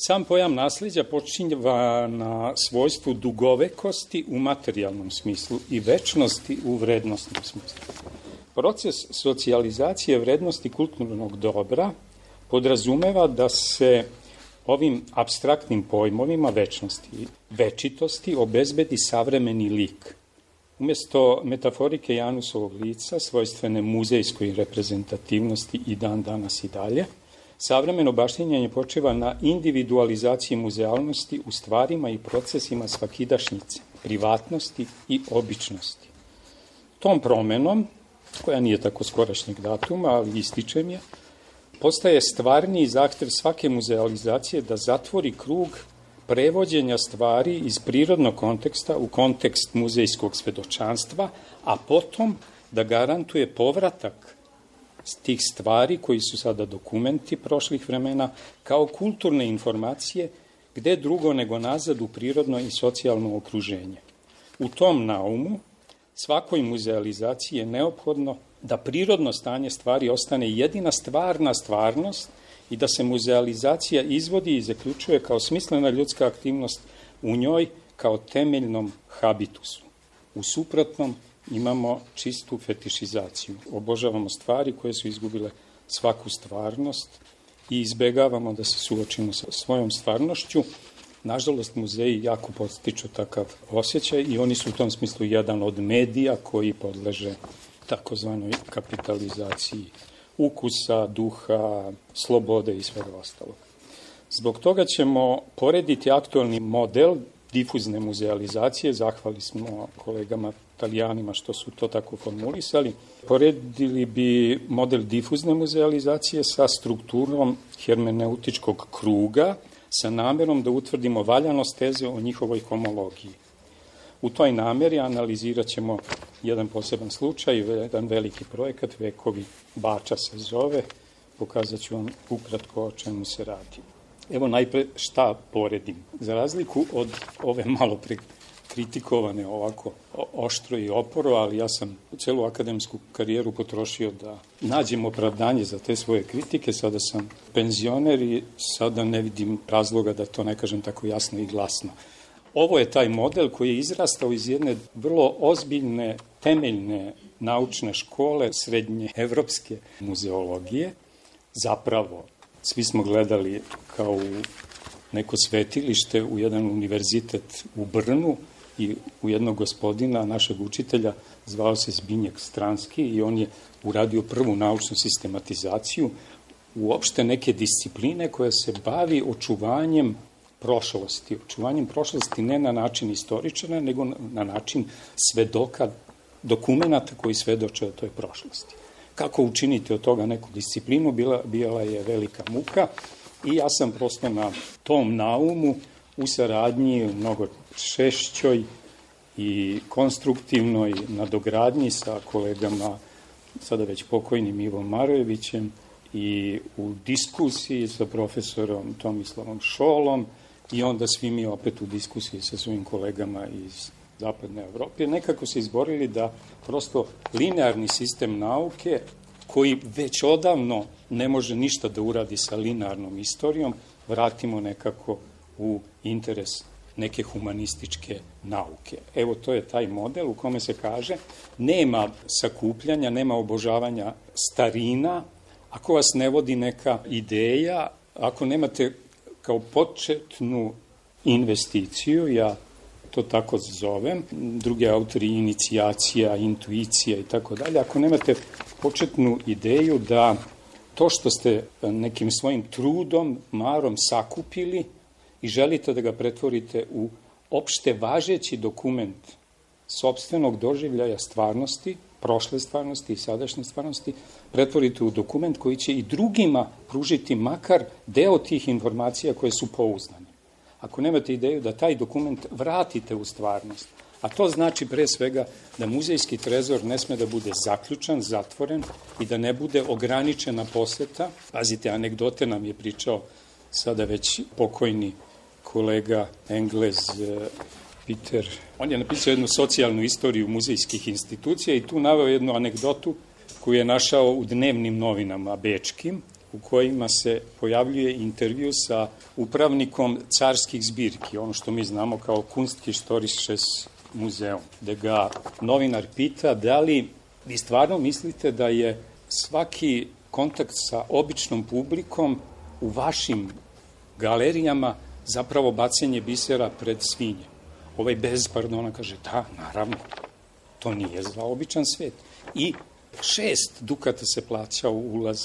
Sam pojam nasleđa počinjava na svojstvu dugovekosti u materijalnom smislu i večnosti u vrednostnom smislu. Proces socijalizacije vrednosti kulturnog dobra podrazumeva da se ovim apstraktnim pojmovima večnosti i večitosti obezbedi savremeni lik. Umjesto metaforike Janusovog lica, svojstvene muzejskoj reprezentativnosti i dan danas i dalje, savremeno baštinjenje počiva na individualizaciji muzealnosti u stvarima i procesima svakidašnjice, privatnosti i običnosti. Tom promenom, koja nije tako skorašnjeg datuma, ali ističem je, postaje stvarniji zahtev svake muzealizacije da zatvori krug prevođenja stvari iz prirodnog konteksta u kontekst muzejskog svedočanstva, a potom da garantuje povratak tih stvari koji su sada dokumenti prošlih vremena kao kulturne informacije gde drugo nego nazad u prirodno i socijalno okruženje. U tom naumu svakoj muzealizaciji je neophodno da prirodno stanje stvari ostane jedina stvarna stvarnost i da se muzealizacija izvodi i zaključuje kao smislena ljudska aktivnost u njoj kao temeljnom habitusu. U suprotnom imamo čistu fetišizaciju. Obožavamo stvari koje su izgubile svaku stvarnost i izbegavamo da se suočimo sa svojom stvarnošću. Nažalost, muzeji jako podstiču takav osjećaj i oni su u tom smislu jedan od medija koji podleže takozvanoj kapitalizaciji ukusa, duha, slobode i svega ostalog. Zbog toga ćemo porediti aktualni model difuzne muzealizacije, zahvali smo kolegama Italijanima što su to tako formulisali, poredili bi model difuzne muzealizacije sa strukturom hermeneutičkog kruga, sa namerom da utvrdimo valjanost teze o njihovoj homologiji. U toj nameri analizirat ćemo jedan poseban slučaj, jedan veliki projekat, Vekovi Bača se zove, pokazat ću vam ukratko o čemu se radi. Evo najpre šta poredim. Za razliku od ove malo pre kritikovane ovako oštro i oporo, ali ja sam celu akademsku karijeru potrošio da nađem opravdanje za te svoje kritike. Sada sam penzioner i sada ne vidim razloga da to ne kažem tako jasno i glasno. Ovo je taj model koji je izrastao iz jedne vrlo ozbiljne, temeljne naučne škole srednje evropske muzeologije. Zapravo, svi smo gledali kao u neko svetilište u jedan univerzitet u Brnu i u jednog gospodina, našeg učitelja, zvao se Zbinjek Stranski i on je uradio prvu naučnu sistematizaciju uopšte neke discipline koja se bavi očuvanjem prošlosti. Očuvanjem prošlosti ne na način istoričara, nego na način svedoka, dokumenta koji svedoče o toj prošlosti. Kako učiniti od toga neku disciplinu, bila je velika muka i ja sam prosto na tom naumu u saradnji mnogo češćoj i konstruktivnoj nadogradnji sa kolegama, sada već pokojnim Ivom Marojevićem i u diskusiji sa profesorom Tomislavom Šolom i onda svi mi opet u diskusiji sa svojim kolegama iz Zapadne Evrope, nekako se izborili da prosto linearni sistem nauke, koji već odavno ne može ništa da uradi sa linearnom istorijom, vratimo nekako u interes neke humanističke nauke. Evo, to je taj model u kome se kaže nema sakupljanja, nema obožavanja starina, ako vas ne vodi neka ideja, ako nemate kao početnu investiciju, ja to tako zovem, drugi autori inicijacija, intuicija i tako dalje, ako nemate početnu ideju da to što ste nekim svojim trudom, marom sakupili i želite da ga pretvorite u opšte važeći dokument sopstvenog doživljaja stvarnosti, prošle stvarnosti i sadašnje stvarnosti, pretvorite u dokument koji će i drugima pružiti makar deo tih informacija koje su pouzdane. Ako nemate ideju da taj dokument vratite u stvarnost, a to znači pre svega da muzejski trezor ne sme da bude zaključan, zatvoren i da ne bude ograničena poseta. Pazite, anegdote nam je pričao sada već pokojni kolega Englez Peter. On je napisao jednu socijalnu istoriju muzejskih institucija i tu naveo jednu anegdotu koju je našao u dnevnim novinama bečkim u kojima se pojavljuje intervju sa upravnikom carskih zbirki, ono što mi znamo kao Kunsthistorisches Muzeum, gde ga novinar pita da li vi stvarno mislite da je svaki kontakt sa običnom publikom u vašim galerijama zapravo bacanje bisera pred svinje. Ovaj bez pardona kaže, da, naravno, to nije za običan svet. I 6 dukata se plaćao ulaz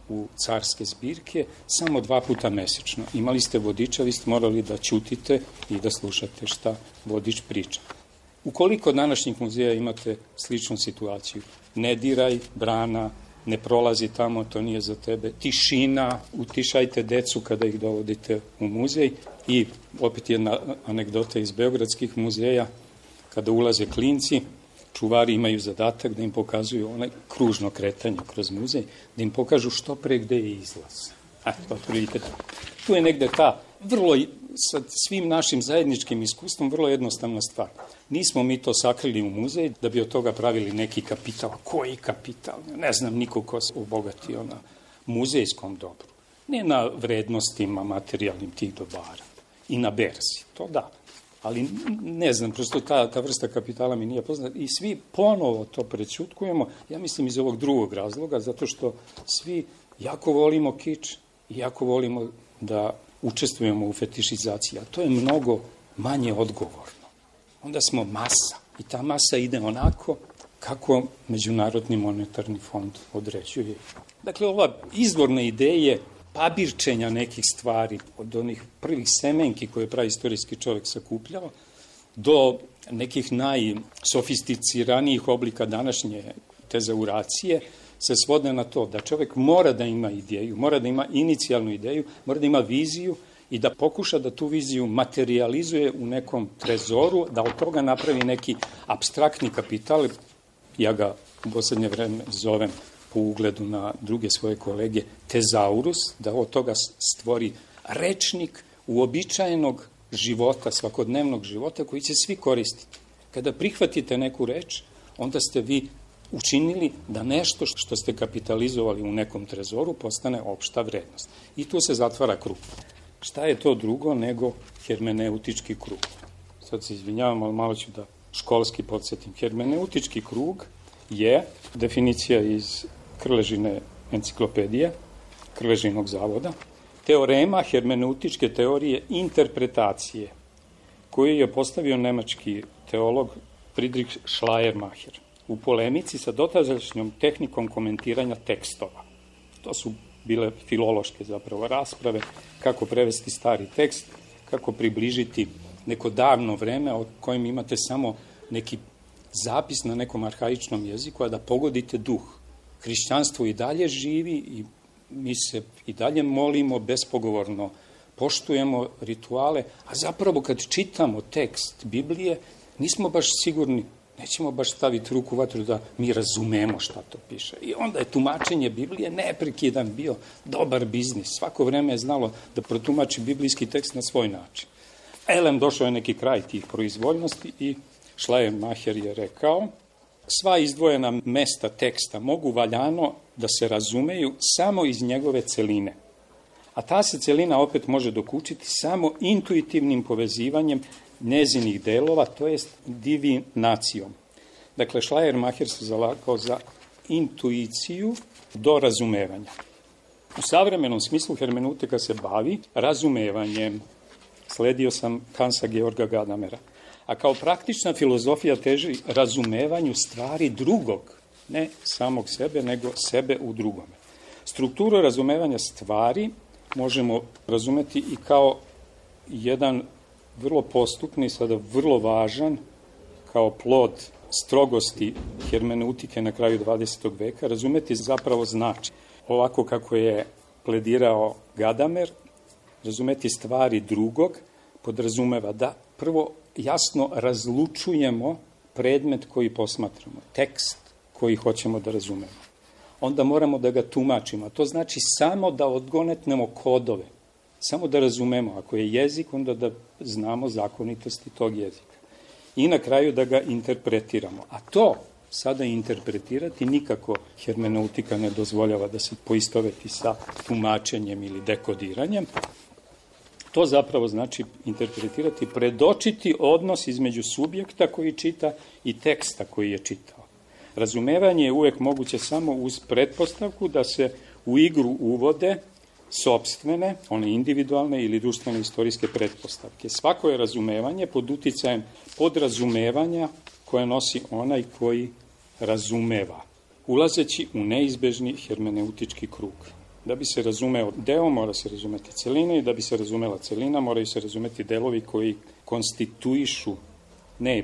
u carske zbirke, samo 2 puta mesečno. Imali ste vodiča, vi ste morali da ćutite i da slušate šta vodič priča. Ukoliko od današnjih muzeja imate sličnu situaciju, ne diraj, brana, ne prolazi tamo, to nije za tebe, tišina, utišajte decu kada ih dovodite u muzej i opet jedna anegdota iz beogradskih muzeja, kada ulaze klinci, čuvari imaju zadatak da im pokazuju onaj kružno kretanje kroz muzej, da im pokažu što pre gde je izlaz. Otprilike. Tu je negde ta vrlo, sa svim našim zajedničkim iskustvom, vrlo jednostavna stvar. Nismo mi to sakrili u muzej da bi od toga pravili neki kapital. Koji kapital? Ne znam niko ko se obogatio na muzejskom dobru. Ne na vrednostima materijalnim tih dobara. I na berzi. To da. Ali ne znam, prosto ta vrsta kapitala mi nije poznata. I svi ponovo to prećutkujemo, ja mislim iz ovog drugog razloga, zato što svi jako volimo kič i jako volimo da učestvujemo u fetišizaciji, a to je mnogo manje odgovorno. Onda smo masa i ta masa ide onako kako Međunarodni monetarni fond određuje. Dakle, ova izvorna ideja pabirčenja nekih stvari, od onih prvih semenki koje je praistorijski čovjek sakupljao, do nekih najsofisticiranijih oblika današnje tezauracije, se svode na to da čovjek mora da ima ideju, mora da ima inicijalnu ideju, mora da ima viziju i da pokuša da tu viziju materializuje u nekom trezoru, da od toga napravi neki apstraktni kapital. Ja ga u poslednje vreme zovem po ugledu na druge svoje kolege tezaurus, da od toga stvori rečnik uobičajenog života, svakodnevnog života koji će svi koristiti. Kada prihvatite neku reč, onda ste vi učinili da nešto što ste kapitalizovali u nekom trezoru postane opšta vrednost. I tu se zatvara krug. Šta je to drugo nego hermeneutički krug? Sad se izvinjavam, ali malo ću da školski podsjetim. Hermeneutički krug je definicija iz Krležine enciklopedije, Krležinog zavoda, teorema hermeneutičke teorije interpretacije, koju je postavio nemački teolog Friedrich Schleiermacher u polemici sa dotadašnjom tehnikom komentiranja tekstova. To su bile filološke zapravo rasprave, kako prevesti stari tekst, kako približiti neko davno vreme o kojem imate samo neki zapis na nekom arhaičnom jeziku, a da pogodite duh. Hrišćanstvo i dalje živi i mi se i dalje molimo bespogovorno, poštujemo rituale, a zapravo kad čitamo tekst Biblije, nismo baš sigurni, nećemo baš staviti ruku u vatru da mi razumemo šta to piše. I onda je tumačenje Biblije neprekidan bio dobar biznis. Svako vreme je znalo da protumači biblijski tekst na svoj način. Elem došao je neki kraj tih proizvoljnosti i Schleiermacher je rekao: sva izdvojena mesta teksta mogu valjano da se razumeju samo iz njegove celine. A ta se celina opet može dokučiti samo intuitivnim povezivanjem njezinih delova, to jest divinacijom. Dakle, Schleiermacher se zalagao za intuiciju do razumevanja. U savremenom smislu hermeneutika se bavi razumevanjem. Sledio sam Hansa Georga Gadamera. A kao praktična filozofija teži razumevanju stvari drugog, ne samog sebe, nego sebe u drugome. Strukturu razumevanja stvari možemo razumeti i kao jedan vrlo postupni, sada vrlo važan, kao plod strogosti hermeneutike na kraju 20. veka, razumeti zapravo znači. Ovako kako je pledirao Gadamer, razumeti stvari drugog podrazumeva da prvo jasno razlučujemo predmet koji posmatramo, tekst koji hoćemo da razumemo. Onda moramo da ga tumačimo, a to znači samo da odgonetnemo kodove, samo da razumemo. Ako je jezik, onda da znamo zakonitosti tog jezika. I na kraju da ga interpretiramo. A to sada interpretirati, nikako hermeneutika ne dozvoljava da se poistoveti sa tumačenjem ili dekodiranjem. To zapravo znači interpretirati, predočiti odnos između subjekta koji čita i teksta koji je čitao. Razumevanje je uvek moguće samo uz pretpostavku da se u igru uvode sopstvene, one individualne ili društvene istorijske pretpostavke. Svako je razumevanje pod uticajem podrazumevanja koje nosi onaj koji razumeva, ulazeći u neizbežni hermeneutički krug. Da bi se razumeo deo, mora se razumeti celina, i da bi se razumela celina, moraju se razumeti delovi koji konstituišu, ne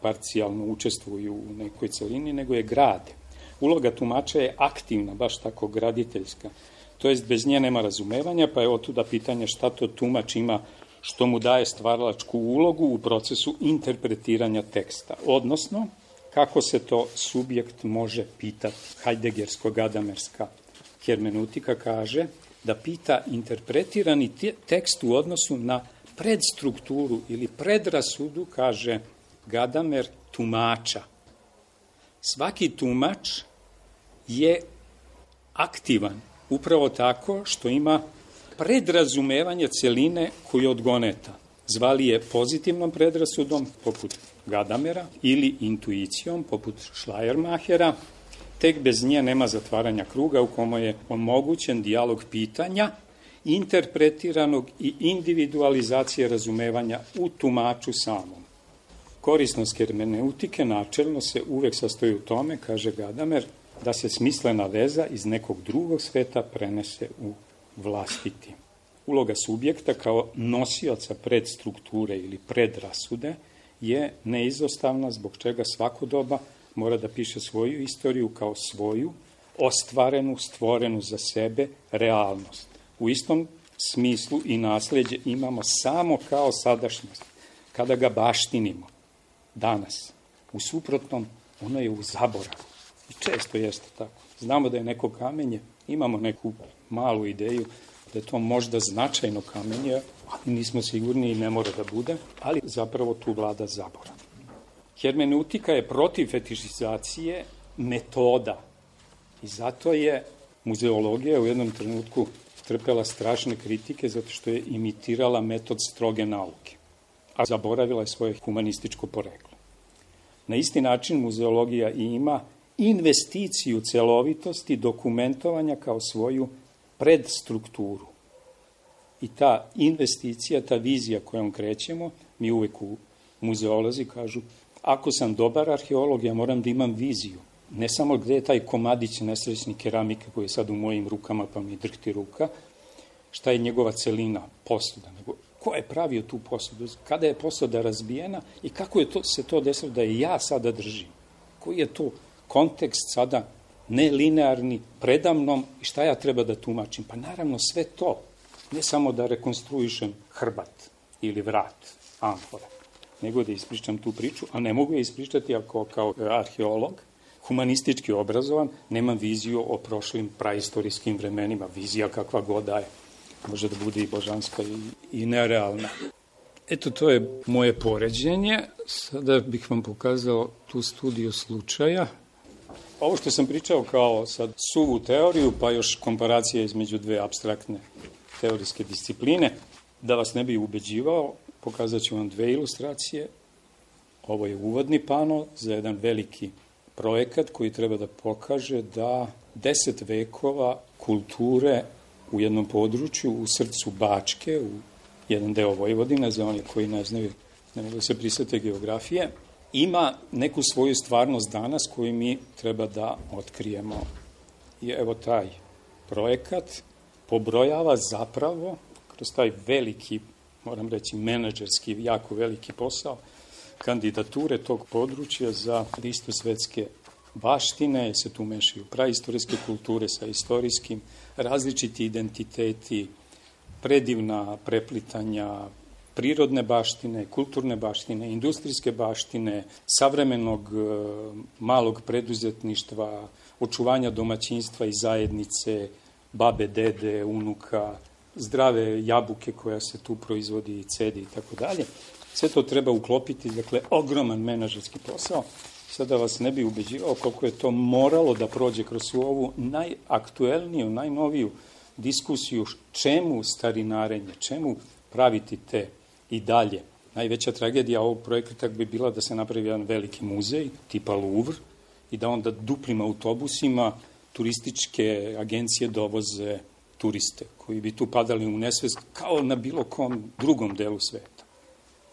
parcijalno učestvuju u nekoj celini, nego je grade. Uloga tumača je aktivna, baš tako graditeljska. To jest, bez nje nema razumevanja, pa je otuda pitanje šta to tumač ima što mu daje stvaralačku ulogu u procesu interpretiranja teksta. Odnosno, kako se to subjekt može pitati. Heideggersko-gadamerska hermeneutika kaže da pita interpretirani tekst u odnosu na predstrukturu ili predrasudu, kaže Gadamer, tumača. Svaki tumač je aktivan upravo tako što ima predrazumevanje celine koju odgoneta. Zvali je pozitivnom predrasudom, poput Gadamera, ili intuicijom, poput Schleiermachera. Tek bez nje nema zatvaranja kruga u kome je omogućen dijalog pitanja, interpretiranog i individualizacije razumevanja u tumaču samom. Korisnost hermeneutike načelno se uvek sastoji u tome, kaže Gadamer, da se smislena veza iz nekog drugog sveta prenese u vlastiti. Uloga subjekta kao nosioca predstrukture ili predrasude je neizostavna, zbog čega svako doba mora da piše svoju istoriju kao svoju, ostvarenu, stvorenu za sebe realnost. U istom smislu i nasleđe imamo samo kao sadašnjost, kada ga baštinimo danas. U suprotnom, ono je u zaboravu. I često jeste tako. Znamo da je neko kamenje, imamo neku malu ideju da je to možda značajno kamenje, ali nismo sigurni i ne mora da bude, ali zapravo tu vlada zaborav. Hermeneutika je protiv fetišizacije metoda i zato je muzeologija u jednom trenutku trpela strašne kritike zato što je imitirala metod stroge nauke, a zaboravila je svoje humanističko poreklo. Na isti način muzeologija ima investiciju celovitosti dokumentovanja kao svoju predstrukturu. I ta investicija, ta vizija kojom krećemo, mi uvek u muzeolozi kažu, ako sam dobar arheolog, ja moram da imam viziju. Ne samo gde je taj komadić nesrećni keramike koji je sad u mojim rukama, pa mi drhti ruka, šta je njegova celina posuda, nego ko je pravio tu posudu, kada je posuda razbijena i kako je se to desilo da je ja sada držim. Koji je to kontekst sada nelinearni, predamnom i šta ja treba da tumačim? Pa naravno sve to, ne samo da rekonstruišem hrbat ili vrat, amfora, nego da ispričam tu priču, a ne mogu je ispričati ako kao arheolog, humanistički obrazovan, nemam viziju o prošlim praistorijskim vremenima, vizija kakva god da je, može da bude i božanska i nerealna. Eto, to je moje poređenje. Sada bih vam pokazao tu studiju slučaja. Ovo što sam pričao kao sad suvu teoriju, pa još komparacija između dve apstraktne teorijske discipline, da vas ne bi ubeđivao, pokazat ću vam dve ilustracije. Ovo je uvodni pano za jedan veliki projekat koji treba da pokaže da 10 vekova kulture u jednom području, u srcu Bačke, u jedan deo Vojvodine, za one koji ne znaju, ne mogu se prisete geografije, ima neku svoju stvarnost danas koju mi treba da otkrijemo. I evo taj projekat pobrojava zapravo, kroz taj veliki, moram reći, menadžerski, jako veliki posao, kandidature tog područja za listu svetske baštine, se tu mešaju praistorijske kulture sa istorijskim, različiti identiteti, predivna preplitanja prirodne baštine, kulturne baštine, industrijske baštine, savremenog malog preduzetništva, očuvanja domaćinstva i zajednice, babe, dede, unuka, zdrave jabuke koja se tu proizvodi i cedi i tako dalje. Sve to treba uklopiti, dakle, ogroman menadžerski posao. Sada vas ne bi ubeđivao koliko je to moralo da prođe kroz ovu najaktuelniju, najnoviju diskusiju čemu starinarenje, čemu praviti te i dalje. Najveća tragedija ovog projekta bi bila da se napravi jedan veliki muzej, tipa Louvre, i da onda duplim autobusima turističke agencije dovoze turiste, koji bi tu padali u nesvest kao na bilo kom drugom delu sveta.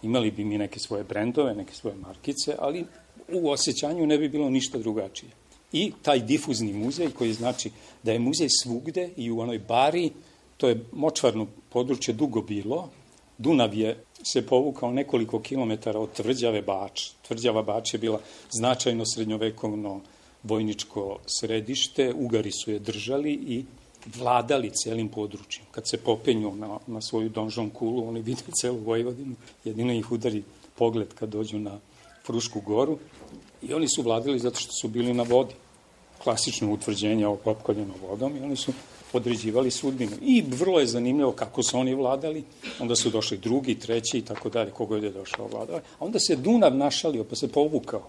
Imali bi mi neke svoje brendove, neke svoje markice, ali u osjećanju ne bi bilo ništa drugačije. I taj difuzni muzej koji znači da je muzej svugde i u onoj bari, to je močvarno područje dugo bilo, Dunav je se povukao nekoliko kilometara od tvrđave Bač. Tvrđava Bač je bila značajno srednjovekovno vojničko središte, Ugari su je držali i vladali celim područjem. Kad se popenju na svoju donžon kulu, oni vide celu Vojvodinu, jedino ih udari pogled kad dođu na Frušku goru i oni su vladali zato što su bili na vodi. Klasično utvrđenje opkoljeno vodom i oni su određivali sudbinu. I vrlo je zanimljivo kako su oni vladali, onda su došli drugi, treći i tako dalje, kogo je došao vladao. A onda se Dunav našalio, pa se povukao.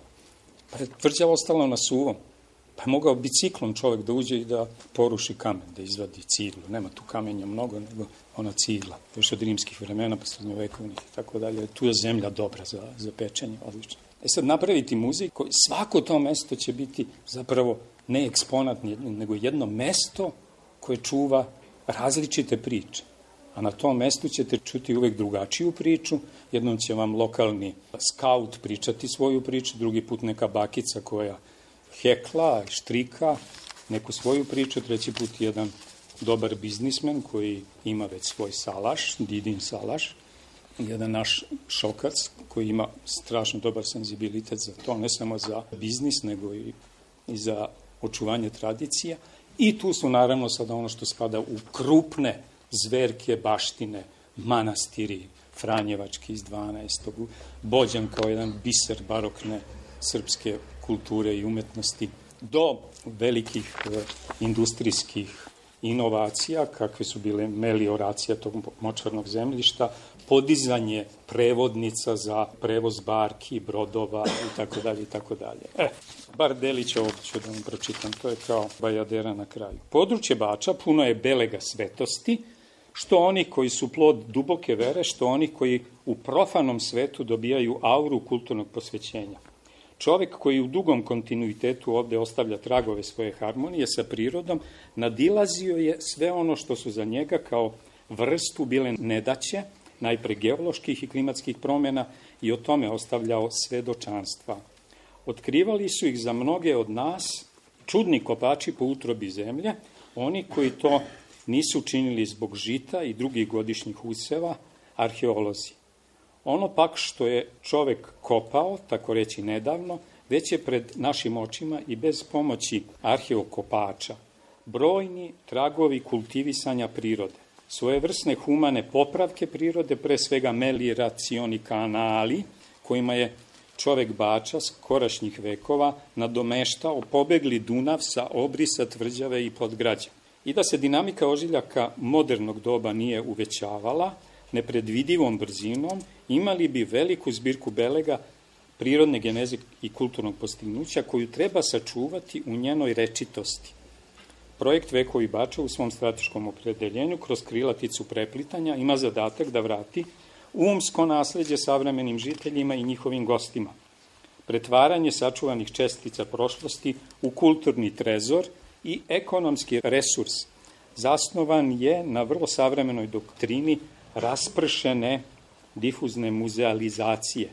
Pa je tvrđava ostala na suvom. Pa je mogao biciklom čovek da uđe i da poruši kamen, da izvadi ciglu. Nema tu kamenja mnogo, nego ona cigla. Još od rimskih vremena, pa srednjovekovnih i tako dalje. Tu je zemlja dobra za pečenje, odlično. Sad napraviti muzej, svako to mesto će biti zapravo ne eksponat, nego jedno mesto koje čuva različite priče. A na tom mestu ćete čuti uvek drugačiju priču. Jednom će vam lokalni skaut pričati svoju priču, drugi put neka bakica koja hekla, štrika, neku svoju priču, treći put jedan dobar biznismen koji ima već svoj salaš, Didin salaš, jedan naš šokac koji ima strašno dobar senzibilitet za to, ne samo za biznis, nego i za očuvanje tradicija. I tu su naravno sada ono što spada u krupne zverke baštine, manastiri, Franjevački iz 12. Bođan kao jedan biser barokne srpske kulture i umetnosti, do velikih industrijskih inovacija, kakve su bile melioracija tog močvarnog zemljišta, podizanje prevodnica za prevoz barki, brodova i tako dalje i tako dalje. Bar delić ovdje ću da vam pročitam, to je kao bajadera na kraju. Područje Bača puno je belega svetosti, što oni koji su plod duboke vere, što oni koji u profanom svetu dobijaju auru kulturnog posvećenja. Čovek koji u dugom kontinuitetu ovde ostavlja tragove svoje harmonije sa prirodom, nadilazio je sve ono što su za njega kao vrstu bile nedaće, najpre geoloških i klimatskih promjena, i o tome ostavljao svedočanstva. Otkrivali su ih za mnoge od nas čudni kopači po utrobi zemlje, oni koji to nisu činili zbog žita i drugih godišnjih useva, arheolozi. Ono pak što je čovek kopao, tako reći nedavno, već je pred našim očima i bez pomoći arheokopača. Brojni tragovi kultivisanja prirode, svojevrsne humane popravke prirode, pre svega melioracioni kanali, kojima je čovek Bača skorašnjih vekova nadomeštao pobegli Dunav sa obrisa tvrđave i podgrađa. I da se dinamika ožiljaka modernog doba nije uvećavala, nepredvidivom brzinom, imali bi veliku zbirku belega prirodne geneze i kulturnog postignuća koju treba sačuvati u njenoj rečitosti. Projekt Vekovi Bača u svom strateškom opredeljenju kroz krilaticu preplitanja ima zadatak da vrati umsko nasleđe savremenim žiteljima i njihovim gostima. Pretvaranje sačuvanih čestica prošlosti u kulturni trezor i ekonomski resurs zasnovan je na vrlo savremenoj doktrini raspršene difuzne muzealizacije,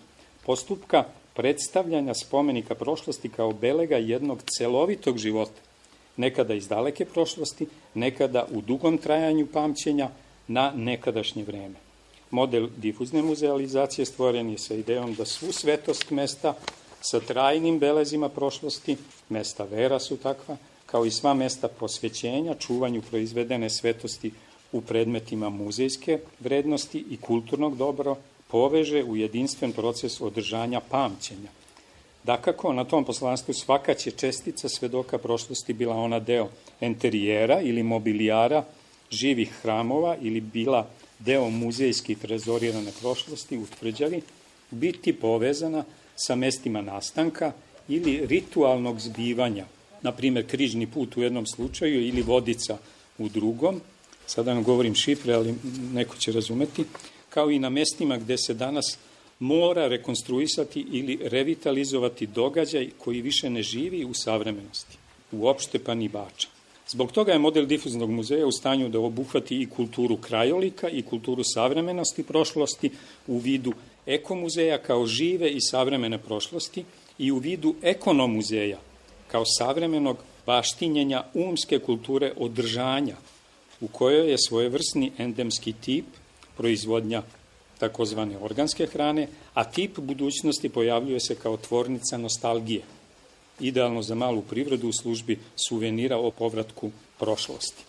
postupka predstavljanja spomenika prošlosti kao belega jednog celovitog života, nekada iz daleke prošlosti, nekada u dugom trajanju pamćenja na nekadašnje vreme. Model difuzne muzealizacije stvoren je sa idejom da svu svetost mesta sa trajnim belezima prošlosti, mesta vera su takva, kao i sva mesta posvećenja, čuvanju proizvedene svetosti u predmetima muzejske vrednosti i kulturnog dobra, poveže u jedinstven proces održanja pamćenja. Dakako, na tom poslanstvu svaka će čestica svedoka prošlosti, bila ona deo enterijera ili mobilijara živih hramova ili bila deo muzejski trezorirane prošlosti u tvrđavi, biti povezana sa mestima nastanka ili ritualnog zbivanja, na primjer križni put u jednom slučaju ili vodica u drugom, sada vam govorim šifre, ali neko će razumeti, kao i na mestima gde se danas mora rekonstruisati ili revitalizovati događaj koji više ne živi u savremenosti, uopšte pa ni Bača. Zbog toga je model difuznog muzeja u stanju da obuhvati i kulturu krajolika i kulturu savremenosti prošlosti u vidu ekomuzeja kao žive i savremene prošlosti i u vidu ekonomuzeja kao savremenog baštinjenja umske kulture održanja u kojoj je svojevrsni endemski tip proizvodnja takozvane organske hrane, a tip budućnosti pojavljuje se kao tvornica nostalgije, idealno za malu privredu u službi suvenira o povratku prošlosti.